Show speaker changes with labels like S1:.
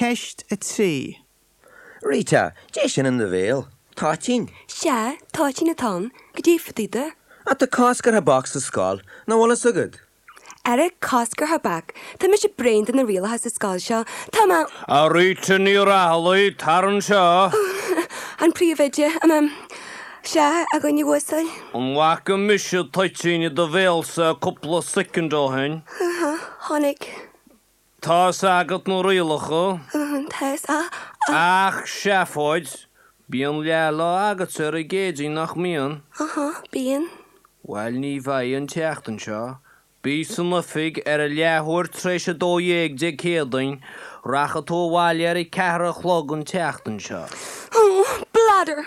S1: Ceist 3.
S2: Rita, Dé sin in do bhéal? Toitín?
S3: Sea, toitín atá ann, goidé fá dtaobh de.
S2: Ach tá cosc ar thobac sa scoil, nach bhfuil fhios agat?
S3: Ara, cosc ar thobac, tá mise bréan de na rialacha sa scoil seo, tá mé.
S4: A Rita Ní Raghallaigh, tar anseo.
S3: An príomhoide, ahem, sea, a dhuine uasail.
S4: An bhfaca mise toitín i do bhéalsa cúpla soicind ó shin?
S3: Chonaic.
S4: Tá 'fhios agat na rialacha.
S3: Tá 'fhios a.
S4: Ach seafóid! Bíonn leathlá agatsa ar an gCéadaoin, nach mbíonn?
S3: Aha, bíonn.
S4: Bhuel, ní bheidh an tseachtain seo. Bí san oifig ar a leathuair tar éis 12 Dé Céadaoin. Rachaidh tú abhaile ar a ceathair a chlog an tseachtain seo.
S3: Oh, bladder!